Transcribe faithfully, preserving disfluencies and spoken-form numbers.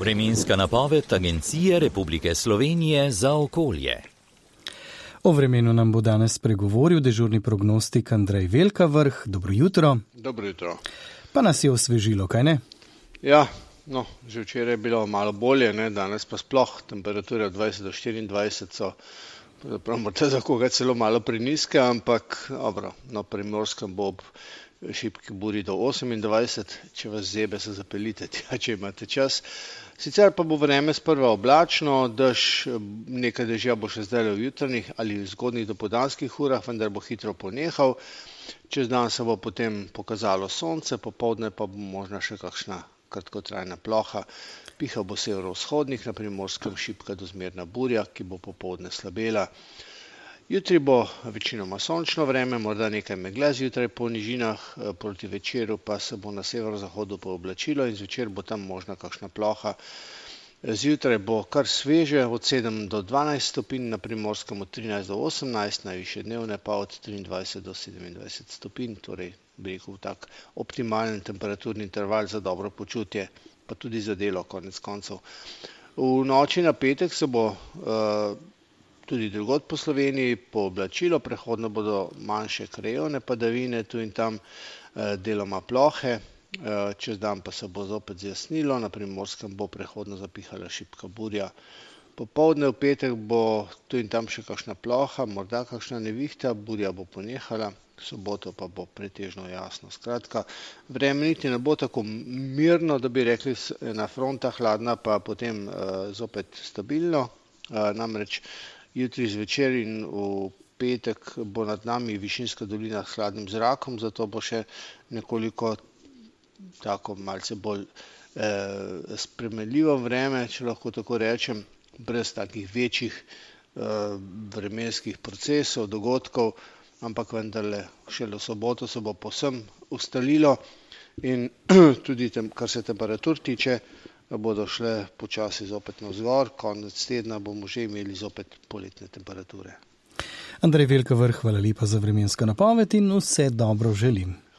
Vremenska napoved Agencije Republike Slovenije za okolje. O vremenu nam bo danes spregovoril dežurni prognostik Andrej Velkavrh. Dobro jutro. Dobro jutro. Pa nas je osvežilo, kaj ne? Ja, no, že včeraj je bilo malo bolje, ne? Danes pa sploh temperature od dvajset do štiriindvajset so, pravzaprav morda za koga celo malo prenizke, ampak dobro, na Primorskem bo ob šibki buri do osemindvajset, če vas zebe, se zapeljite tja, če imate čas. Sicer pa bo vreme sprva oblačno, dež, nekaj dežja bo še zdaj v jutranjih ali v zgodnjih dopoldanskih urah, vendar bo hitro ponehal. Čez dan se bo potem pokazalo sonce, popoldne pa bo možna še kakšna kratkotrajna ploha. Pihal bo severovzhodnik, na Primorskem šibka do zmerna burja, ki bo popoldne slabela. Jutri bo večinoma sončno vreme, morda nekaj megle zjutraj po nižinah, proti večeru pa se bo na severozahodu pooblačilo in zvečer bo tam možna kakšna ploha. Zjutraj bo kar sveže, od sedem do dvanajst stopinj, na Primorskem od trinajst do osemnajst, najvišje dnevne pa od triindvajset do sedemindvajset stopinj, torej bi rekel tak optimalen temperaturni interval za dobro počutje, pa tudi za delo konec koncev. V noči na petek se bo uh, tudi drugod po Sloveniji pooblačilo, prehodno bodo manjše krajevne padavine, tu in tam eh, deloma plohe, eh, čez dan pa se bo zopet zjasnilo, na Primorskem bo prehodno zapihala šibka burja. Popoldne v petek bo tu in tam še kakšna ploha, morda kakšna nevihta, burja bo ponehala, v soboto pa bo pretežno jasno. Skratka, vreme niti ne bo tako mirno, da bi rekli na fronta hladna, pa potem eh, zopet stabilno, eh, namreč jutri zvečer in v petek bo nad nami višinska dolina s hladnim zrakom, zato bo še nekoliko tako malce bolj eh, spremenljivo vreme, če lahko tako rečem, brez takih večjih eh, vremenskih procesov, dogodkov, ampak vendarle šele v soboto se bo povsem ustalilo in tudi tem, kar se temperatur tiče, bodo šle počasi zopet navzgor, konec tedna bomo že imeli zopet poletne temperature. Andrej Velkavrh, hvala lepa za vremensko napoved in vse dobro želim.